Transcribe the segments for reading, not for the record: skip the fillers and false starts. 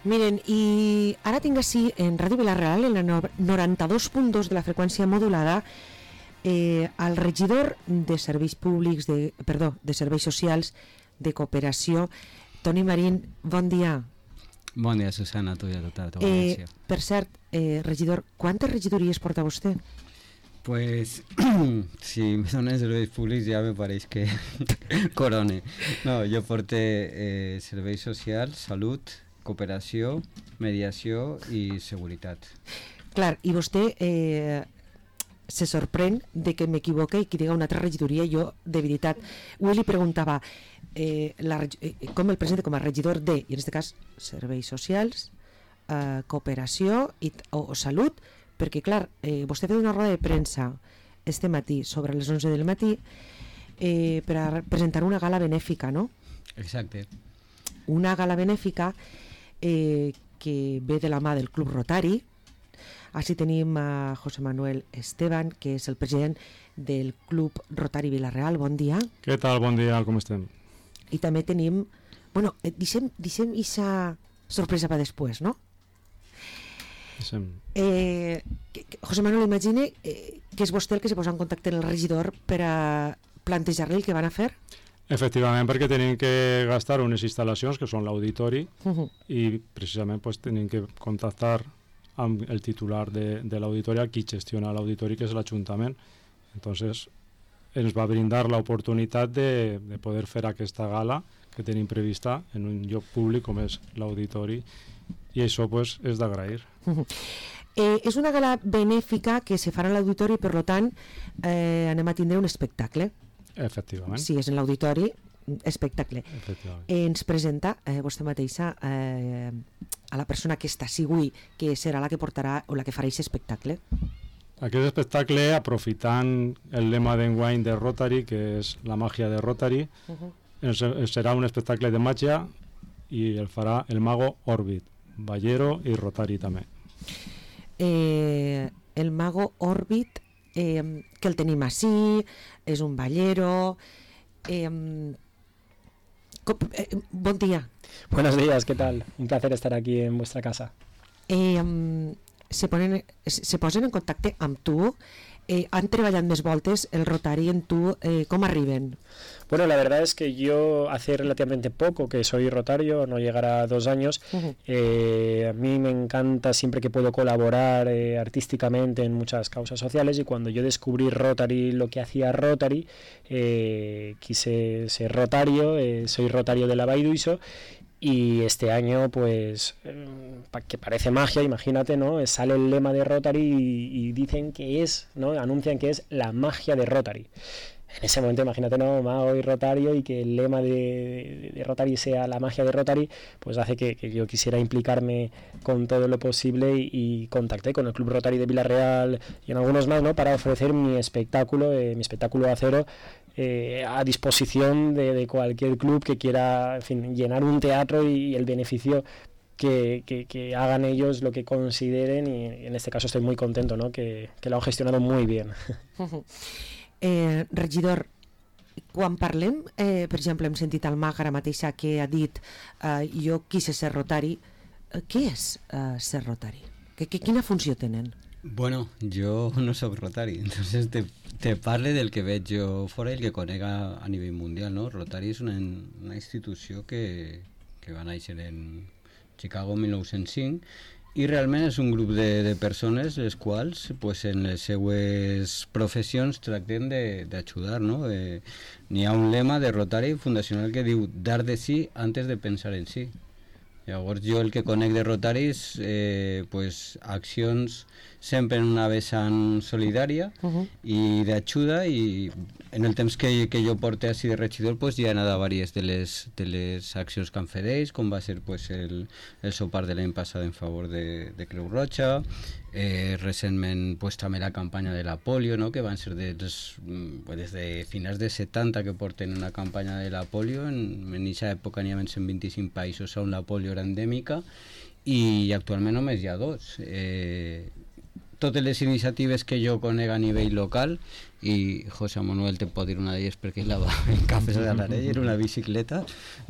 Miren, i ara tinc així en Ràdio Vila-real, en la 92.2 de la freqüència modulada, el regidor de Serveis Públics, de Serveis Socials, de Cooperació, Toni Marín. Bon dia. Bon dia, Susana, a tu i a tota la teva audiència. Per cert, regidor, quantes regidories porta vostè? Pues, si me donen serveis públics ja me pareix que corone. No, jo porte serveis socials, salut, cooperació, mediació i seguretat. Clar, i vostè se sorprèn de que m'equivoque i que diga una altra regidoria. Jo, de veritat, avui li preguntava com el presenta com a regidor de, i en aquest cas, serveis socials, cooperació o salut, perquè, clar, vostè ha fet una roda de premsa este matí, sobre les 11 del matí, per a presentar una gala benèfica, no? Exacte. Una gala benèfica que ve de la mà del Club Rotari. Així tenim a José Manuel Esteban, que és el president del Club Rotari Vila-real. Bon dia. Què tal? Bon dia, com estem? I també tenim... Bueno, deixem aquesta sorpresa per després, no? José Manuel, imagine que és vostè el que se posa en contacte amb el regidor per a plantejar-li el que van a fer? Efectivament, perquè tenim que gastar unes instal·lacions que són l'auditori i precisament pues, tenim que contactar amb el titular de l'auditori, qui gestiona l'auditori, que és l'Ajuntament. Entonces ens va brindar l'oportunitat de poder fer aquesta gala que tenim prevista en un lloc públic com és l'auditori, i això pues, és d'agrair. És una gala benèfica que se farà a l'auditori, per tant anem a tindre un espectacle. Efectivament. Sí, és en l'auditori, espectacle. Ens presenta vostè mateixa a la persona que està avui, que serà la que portarà o la que farà aquest espectacle. Aquest espectacle, aprofitant el lema d'enguany de Rotary, que és la màgia de Rotary, serà un espectacle de màgia i el farà el mago Orbit, ballero i Rotary també. El mago Orbit, que el tenim així, és un ballero. Bon dia. Buenos días, ¿qué tal? Un placer estar aquí en vuestra casa. Se posen en contacte amb tu, han treballat més voltes el Rotary en tu, ¿cómo arriben? Bueno, la verdad es que yo hace relativamente poco que soy rotario, no llegará a 2 años. A mí me encanta siempre que puedo colaborar artísticamente en muchas causas sociales, y cuando yo descubrí Rotary, lo que hacía Rotary, quise ser rotario, soy rotario de la Baiduiso. Y este año, pues, que parece magia, imagínate, ¿no? Sale el lema de Rotary y dicen que es, ¿no? Anuncian que es la magia de Rotary. En ese momento, imagínate, ¿no? Mago y Rotario, y que el lema de Rotary sea la magia de Rotary, pues hace que yo quisiera implicarme con todo lo posible, y contacté con el Club Rotary de Vila-real y en algunos más, ¿no? Para ofrecer mi espectáculo acero, a disposición de cualquier club que quiera, en fin, llenar un teatro, y el beneficio que hagan ellos lo que consideren, y en este caso estoy muy contento, ¿no? Que lo han gestionado muy bien. Regidor, quan parlem, per exemple, hem sentit el mag ara mateixa que ha dit jo quise ser rotari. Què és ser rotari? Quina funció tenen? Bueno, jo no soc rotari, entonces te parle del que veig jo fora i el que conec a nivell mundial, no? Rotary és una institució que va néixer en Chicago en 1905, i realment és un grup de persones les quals pues, en les seues professions tracten d'ajudar, no? N'hi ha un lema de Rotary fundacional que diu dar de sí antes de pensar en sí. Llavors jo el que conec de Rotary és pues, accions sempre en una vessant solidària i d'ajuda, i en el temps que jo porté així de regidor pues, ja he anat a diverses de les accions que han fet ells, com va ser pues, el sopar de l'any passat en favor de Creu Roja, recentment pues, també la campanya de la polio, no? Que van ser des de finals de 70 que porten una campanya de la polio. En aquesta època n'hi ha 125 països on la polio era endèmica, i actualment només hi ha 2, totes les iniciatives que jo conec a nivell local, i José Manuel te pot dir una d'elles perquè la va en Cafès de l'Arell, era una bicicleta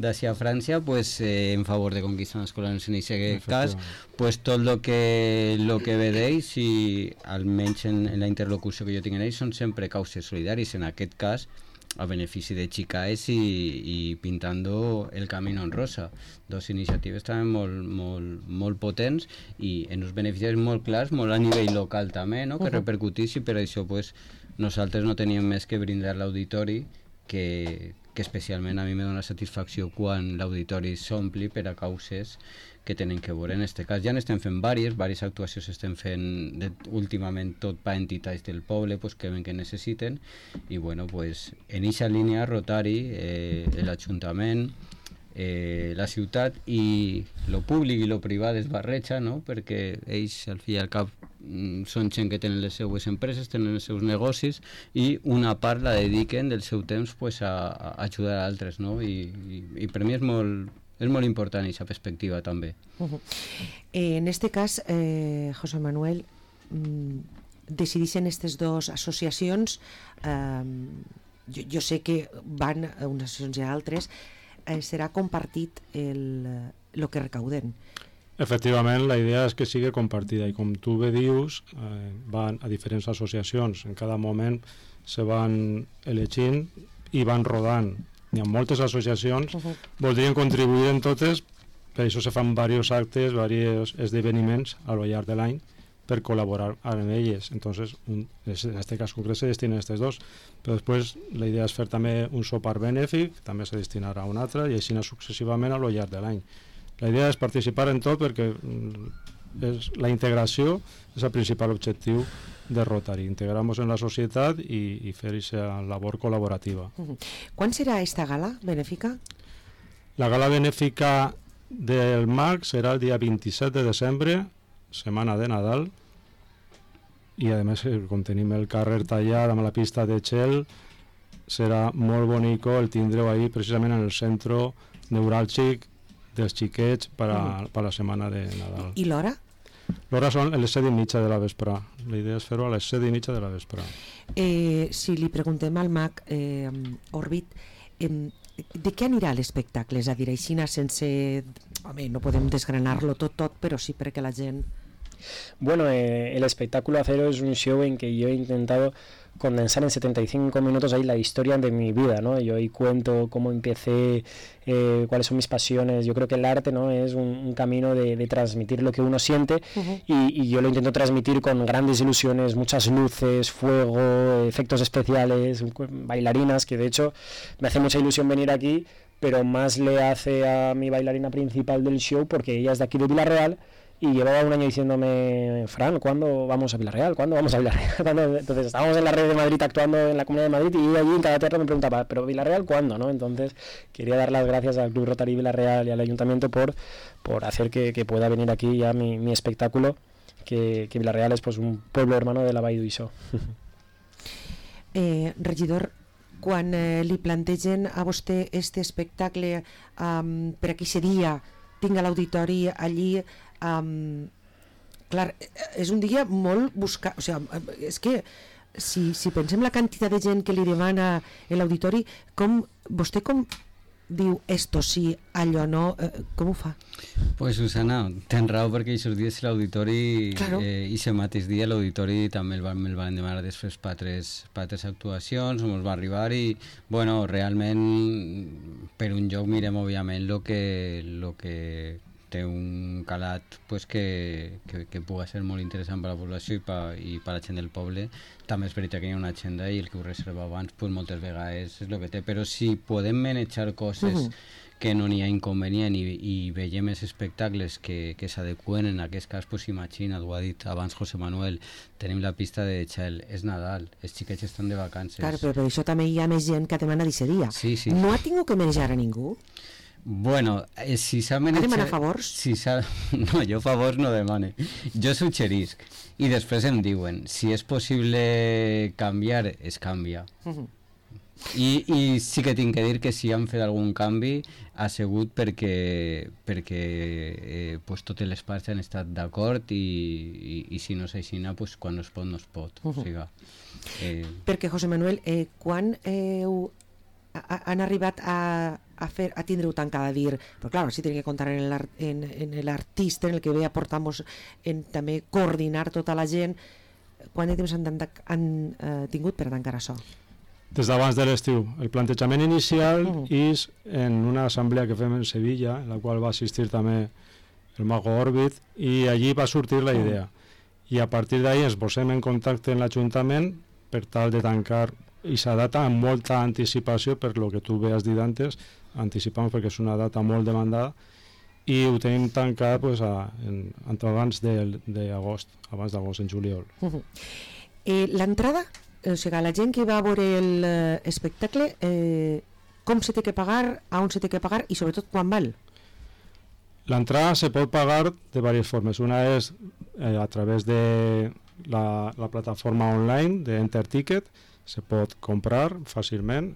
d'ací a França, pues, en favor de conquistar escolars en aquest cas, pues, tot el que ve d'ells, i almenys en la interlocució que jo tinc en ells, són sempre causes solidàries, en aquest cas a benefici de Chicaes i Pintando el Camino en Rosa, dos iniciatives també molt potents i en uns beneficis molt clars, molt a nivell local també, no? Que repercutís, i per això pues, nosaltres no teníem més que brindar l'auditori, que especialment a mi me dona satisfacció quan l'auditori s'ompli per a causes que tenen que veure. En aquest cas ja n'estem fent diverses actuacions estem fent últimament tot per entitats del poble pues, que ven que necessiten, i bueno, pues, en aquesta línia Rotary, l'Ajuntament, la ciutat i lo públic i lo privat es barreja, no? Perquè ells al fi i al cap són gent que tenen les seues empreses, tenen els seus negocis, i una part la dediquen del seu temps pues, a ajudar a altres, no? I per mi és molt important aquesta perspectiva també. En este cas, José Manuel, decidixen aquestes dues associacions, jo sé que van a unes associacions i a altres, serà compartit el que recauden. Efectivament, la idea és que sigui compartida, i com tu bé dius, van a diferents associacions, en cada moment se van elegint i van rodant. Hi ha moltes associacions, voldrien contribuir en totes, per això se fan diversos actes, diversos esdeveniments a lo llarg de l'any per col·laborar amb elles. Entonces, en este cas concret se destinen a aquestes dos, però després la idea és fer també un sopar benèfic, també se destinarà a un altre, i així successivament a lo llarg de l'any. La idea és participar en tot perquè la integració és el principal objectiu de Rotary, integrar-nos en la societat i fer aquesta labor col·laborativa. Quan serà esta gala benèfica? La gala benèfica del MAC serà el dia 27 de desembre, setmana de Nadal, i a més, com tenim el carrer tallat amb la pista de gel, serà molt bonico el tindre-ho ahí precisament en el centre neuràlgic dels xiquets per a la setmana de Nadal. I l'hora? L'hora són les 7:30 de la vesprà. La idea és fer-ho a les 7:30 de la vesprà. Si li preguntem al MAC, Òrbit, de què anirà l'espectacle? És a dir, aixina sense... Home, no podem desgranar-lo tot, però sí perquè la gent... Bueno, el espectáculo Acero es un show en que yo he intentado condensar en 75 minutos ahí la historia de mi vida, ¿no? Yo ahí cuento cómo empecé, cuáles son mis pasiones. Yo creo que el arte, ¿no?, es un camino de transmitir lo que uno siente, y yo lo intento transmitir con grandes ilusiones, muchas luces, fuego, efectos especiales, bailarinas, que de hecho me hace mucha ilusión venir aquí, pero más le hace a mi bailarina principal del show porque ella es de aquí de Villarreal. Y llevaba un año diciéndome, Fran, ¿cuándo vamos a Villarreal? ¿Cuándo vamos a Villarreal? Entonces estábamos en la red de Madrid actuando en la Comunidad de Madrid, y allí en cada teatro me preguntaba, ¿pero Villarreal cuándo? ¿No? Entonces quería dar las gracias al Club Rotary Villarreal y al Ayuntamiento por hacer que pueda venir aquí ya mi espectáculo, que Villarreal es pues un pueblo hermano de la Vall d'Uixó. Regidor, quan li plantegen a vostè este espectacle per aquí seria, tinc l'auditori allí, clar, és un dia molt buscat, o sigui, és que si pensem la quantitat de gent que li demana l'auditori, vostè com diu esto sí, allò no, com ho fa? Pues Susana, tens raó, perquè aquests dies l'auditori, claro. I aquest mateix dia l'auditori també me'l van demanar després per altres actuacions, ens va arribar, i bueno, realment per un joc mirem òbviament lo que té un calat pues, que pugui ser molt interessant per a la població i per a la gent del poble. També és veritat que hi ha una agenda i el que ho reserva abans pues, moltes vegades és el que té, però si podem manejar coses que no n'hi ha inconvenient i veiem els espectacles que s'adeqüen, en aquest cas, pues, imagina't, ho ha dit abans José Manuel, tenim la pista de gel, és Nadal, els xiquets estan de vacances. Clar, però per això també hi ha més gent que demana disseria. Sí. No ha tingut que manejar a ningú? Bueno, si s'ha manejat... Ha demanat favors? No, jo favors no demane. Jo suggerisc. I després em diuen, si és possible canviar, es canvia. I sí que tinc que dir que si han fet algun canvi ha sigut perquè pues, totes les parts han estat d'acord i si no és així, pues, quan no es pot, no es pot. O sigui, Perquè, José Manuel, quan han arribat a tindre-ho tancada, a dir, però clar, si tenen que comptar en l'artista, en el que ve a portar-nos també coordinar tota la gent, quant de temps han tingut per tancar això? Des d'abans de l'estiu. El plantejament inicial és en una assemblea que fem en Sevilla, en la qual va assistir també el Mago Orbit, i allí va sortir la idea. I a partir d'ahí ens posem en contacte amb l'Ajuntament per tal de tancar aquesta data amb molta anticipació, per lo que tu has dit antes, anticipamos perquè és una data molt demandada, i ho tenim tancat pues, abans d'agost, en juliol. L'entrada, o sigui, la gent que va a veure l'espectacle, com se té que pagar, a on se té que pagar i sobretot quan val? L'entrada se pot pagar de diverses formes. Una és a través de la plataforma online d'Enter Ticket, se pot comprar fàcilment,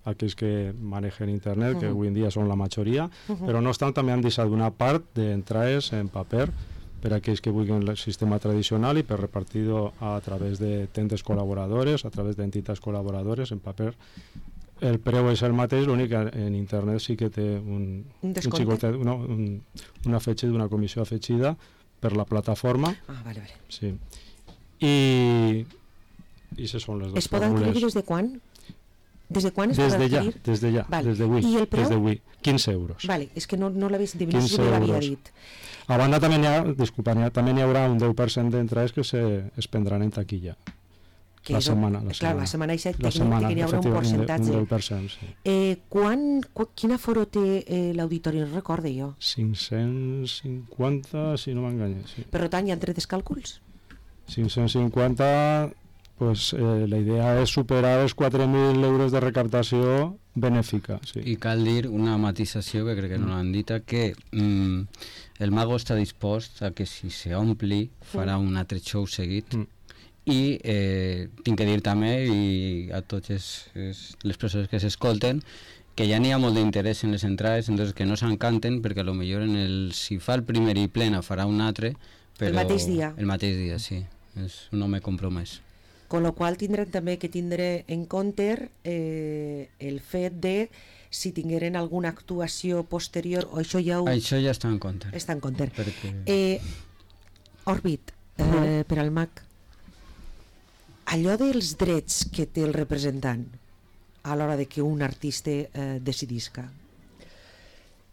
aquells que manegen internet, que avui en dia són la majoria, però no obstant també han deixat una part d'entrades en paper per a aquells que vulguin el sistema tradicional i per repartir-ho a través de tendes col·laboradores, a través d'entitats col·laboradores en paper. El preu és el mateix, l'únic que en internet sí que té una fetge d'una comissió afegida per la plataforma. Vale. Sí. I aquestes són les dues fórmules. Es poden adquirir des de quan? Des de quan es poden adquirir? Des de ja, vale. des d'avui. 15 euros. Vale, és que no l'havia dit. A banda també hi haurà un 10% d'entrades que es prendran en taquilla. La setmana eixa tècnicament hi haurà un percentatge. Un 10%, sí. Quin aforo té l'auditori? No recordo jo. 550, si no m'enganya. Sí. Per tant, hi ha tres càlculs? 550, pues, la idea és superar els 4.000 euros de recaptació benèfica. Sí. I cal dir una matisació que crec que no l'han dit, que el Mago està dispost a que si s'ompli farà un altre show seguit. I tinc que dir també i a totes les persones que s'escolten que ja n'hi ha molt d'interès en les entrades, entonces que no s'encanten perquè potser si fa el primer i plena farà un altre, però el mateix dia. El mateix dia, sí, és un home compromès. Con lo qual tindrem també que tindre en compte el fet de si tingueren alguna actuació posterior o això ja està en compte. Està en compte. Perquè... Orbit, per al MAC, allò dels drets que té el representant a l'hora de que un artista decidisca.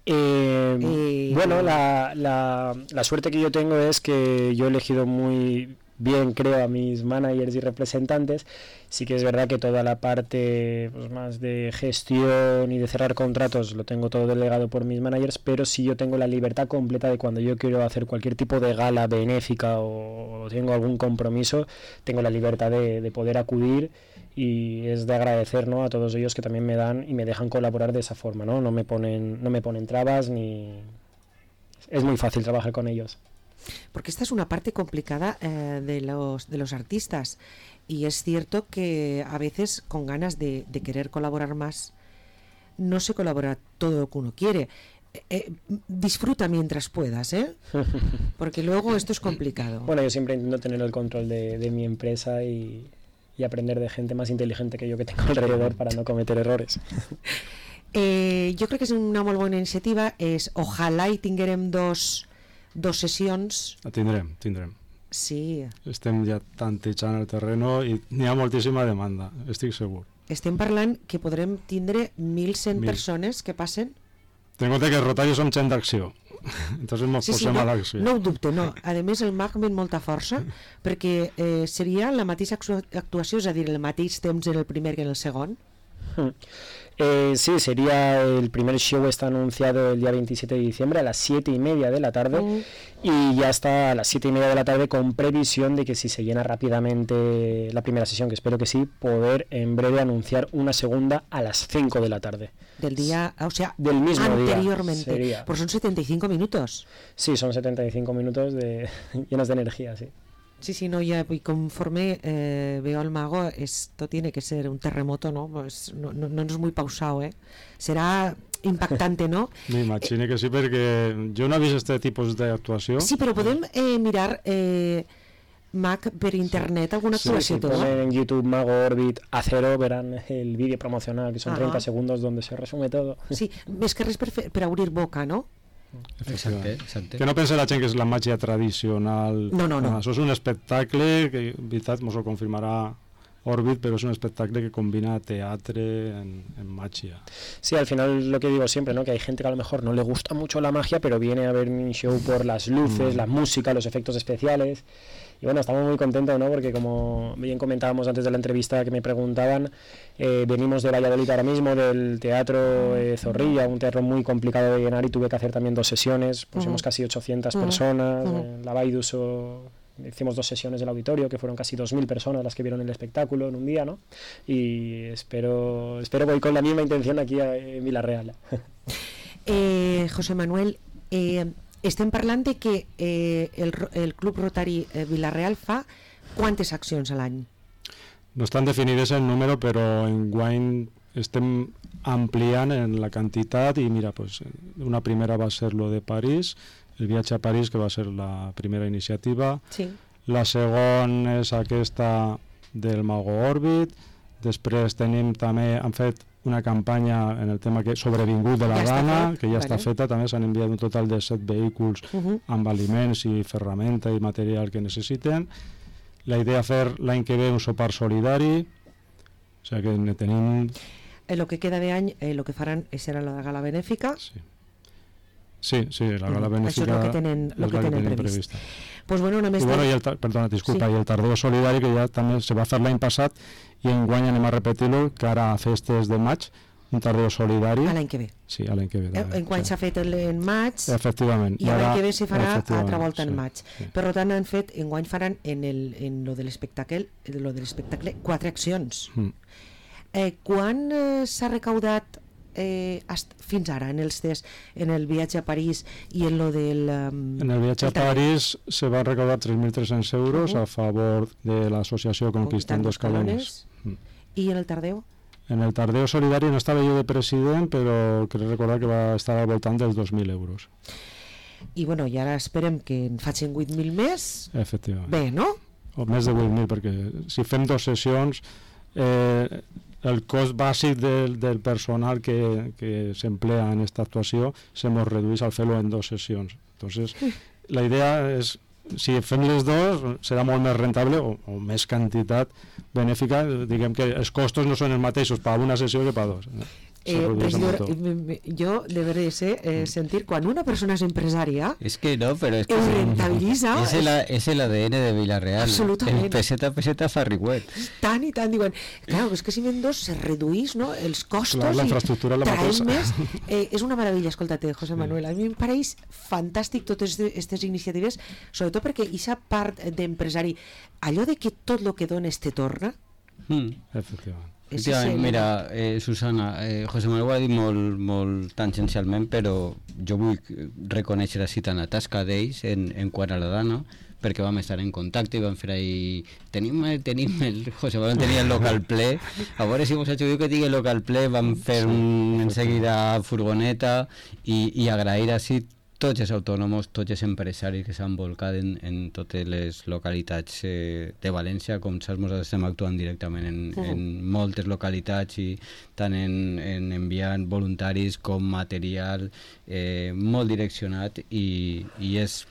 Bueno, la suerte que yo tengo es que yo he elegido muy bien, creo, a mis managers y representantes. Sí que es verdad que toda la parte pues, más de gestión y de cerrar contratos lo tengo todo delegado por mis managers, pero sí yo tengo la libertad completa de cuando yo quiero hacer cualquier tipo de gala benéfica o tengo algún compromiso, tengo la libertad de poder acudir, y es de agradecer, ¿no?, a todos ellos que también me dan y me dejan colaborar de esa forma, ¿no? No me ponen trabas ni... Es muy fácil trabajar con ellos. Porque esta es una parte complicada de los artistas, y es cierto que a veces con ganas de querer colaborar más no se colabora todo lo que uno quiere. Disfruta mientras puedas, porque luego esto es complicado. Bueno, yo siempre intento tener el control de mi empresa y aprender de gente más inteligente que yo que tengo alrededor para no cometer errores. Jo crec que és una molt bona iniciativa. Ojalà hi tinguérem dos sessions. Tindrem. Sí. Estem ja tantejant el terreno i n'hi ha moltíssima demanda, estic segur. Estem parlant que podrem tindre 1.100 persones que passen. Ten en compte que els rotaris som gent d'acció, entonces ens posem a l'acció. No ho dubte, no. A més, el MAC ve amb molta força, perquè seria la mateixa actuació, és a dir, el mateix temps en el primer que en el segon. Sí, sería el primer show, está anunciado el día 27 de diciembre a las 7:30 de la tarde y ya está a las 7:30 de la tarde con previsión de que si se llena rápidamente la primera sesión, que espero que sí, poder en breve anunciar una segunda a las 5 de la tarde. Del día, o sea, del mismo anteriormente. Día sería. Pues son 75 minutos. Sí, son 75 minutos llenos de energía, sí. Sí, no, ya y conforme veo al mago, esto tiene que ser un terremoto, ¿no? Pues no es muy pausado, ¿eh? Será impactante, no? M'imagino que sí, perquè jo no he vist aquest tipus d'actuació. Sí, però podem mirar, Mac, per internet alguna actuació si toda. ponen en YouTube Mago Orbit A0 verán el vídeo promocional, que son 30 segundos donde se resume todo. Sí, més que res per obrir boca, no? Exacte. Que no pensa la gent que és la màgia tradicional. No. Això és un espectacle que, en veritat, ens ho confirmarà Orbit, pero es un espectáculo que combina teatre en magia. Sí, al final lo que digo siempre, ¿no? Que hay gente que a lo mejor no le gusta mucho la magia, pero viene a ver mi show por las luces, la música, los efectos especiales. Y bueno, estamos muy contentos, ¿no? Porque como bien comentábamos antes de la entrevista que me preguntaban, venimos de Valladolid ahora mismo, del teatro Zorrilla, un teatro muy complicado de llenar, y tuve que hacer también 2 sesiones, pusimos casi 800 personas, la Baidus hicimos 2 sesiones del auditorio, que fueron casi 2.000 personas las que vieron el espectáculo en un día, ¿no? Y espero voy con la misma intención aquí en Vila-real. José Manuel, estem parlant de que el Club Rotari Vila-real fa quantes accions a l'any? No estan definides el número, però enguany estem ampliant en la quantitat i mira, pues, una primera va ser lo de París, el viatge a París, que va ser la primera iniciativa. Sí. La segona és aquesta del Mago Orbit. Després tenim també, han fet una campanya en el tema que sobrevingut de la Dana, que ja està feta. També s'han enviat un total de 7 vehicles amb aliments i ferramenta i material que necessiten. La idea fer l'any que ve un sopar solidari, o sigui que ne tenim... En lo que queda de any, lo que faran serà la gala benèfica. Sí, la gala benèfica això és el que tenen previst. Pues bueno, només perdona, disculpa, i el Tardeo Solidari, que ja també se va fer l'any passat i enguany anem a repetir-lo, que ara a festes de maig, un Tardeo Solidari. A l'any que ve. Sí, a l'any que ve. Enguany s'ha fet en maig. Efectivament. I l'any que ve se farà altra volta en maig. Sí. Per tant, enguany faran en lo de l'espectacle 4 accions. Quan s'ha recaudat fins ara en el viatge a París i en lo del... En el viatge a París se van recaudar 3.300 euros a favor de l'associació Conquistando Escalones. I en el Tardeo? En el Tardeo Solidari no estava jo de president, però crec recordar que va estar al voltant dels 2.000 euros. I bueno, i ara esperem que en facin 8.000 més. Efectivament. Bé, no? O més de 8.000, perquè si fem 2 sessions... el cost bàsic del personal que s'emplea en aquesta actuació se nos redueix al fer-lo en 2 sessions. Entonces, la idea és, si fem les 2, serà molt més rentable o més quantitat benèfica. Diguem que els costos no són els mateixos per una sessió que per 2. Regidor, yo debería sentir cuando una persona es empresaria, es que no, pero es que rentabiliza, es el ADN de Vila-real. Absolutamente. El peseta farrigüet. Tant i tant, diuen, claro, és que si ven 2 se reduís, no?, els costos, la infraestructura la traem més. És una meravella, escolta-te, José Manuel, a mi em pareix fantàstic totes aquestes iniciatives, sobretot perquè aquesta part d'empresari, allò de que tot el que dones te torna. Efectivament. Mira, Susana, José Manuel ho ha dit molt tangencialment, però jo vull reconèixer així tant la tasca d'ells en quant a la Dana, perquè vam estar en contacte i vam fer ahí... Tenim el José Manuel tenia el local ple, a veure si vos ajudiu que tingui el local ple, vam fer en seguida furgoneta i agrair així tots els autònoms, tots els empresaris que s'han volcat en totes les localitats de València. Com saps, nosaltres estem actuant directament en moltes localitats i tant en enviant voluntaris com material molt direccionat i és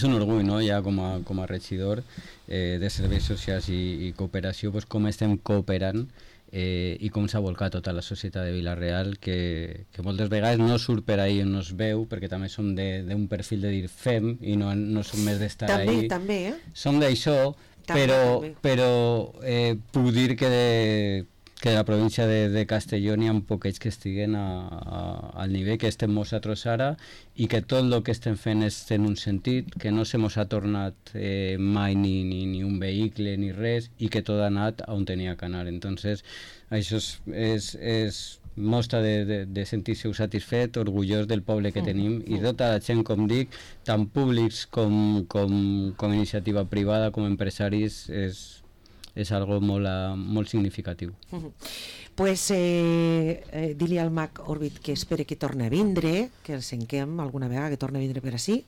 un orgull, no? Ja com a regidor de serveis socials i cooperació, pues, com estem cooperant i com s'ha volcat tota la societat de Vila-real, que moltes vegades no surt per ahí on no es veu, perquè també som d'un perfil de dir fem i no som més d'estar ahí. També, som d'això, però puc dir que la província de Castelló n'hi ha poquets que estiguen al nivell que estem nosaltres ara i que tot el que estem fent és en un sentit, que no se mos ha tornat mai ni un vehicle ni res i que tot ha anat on tenia que anar. Entonces, això és mostra de sentir-se satisfet, orgullós del poble que tenim, i tota la gent, com dic, tant públics com iniciativa privada, com empresaris, és algo molt significatiu. Pues dir-li al Mac Orbit que espere que torni a vindre, que el senquem alguna vegada, que torni a vindre per ací.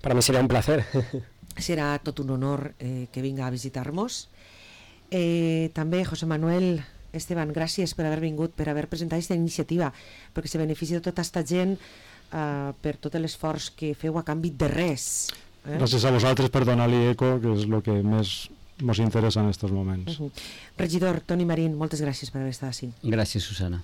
Para mí sería un placer. Serà tot un honor que vinga a visitar-nos. També, José Manuel, Esteban, gràcies per haver vingut, per haver presentat aquesta iniciativa, perquè se beneficia de tota aquesta gent per tot l'esforç que feu a canvi de res. Gràcies a vosaltres per donar-li eco, que és el que més ens interessa en aquests moments. Regidor Toni Marín, moltes gràcies per haver estat així. Gràcies, Susana.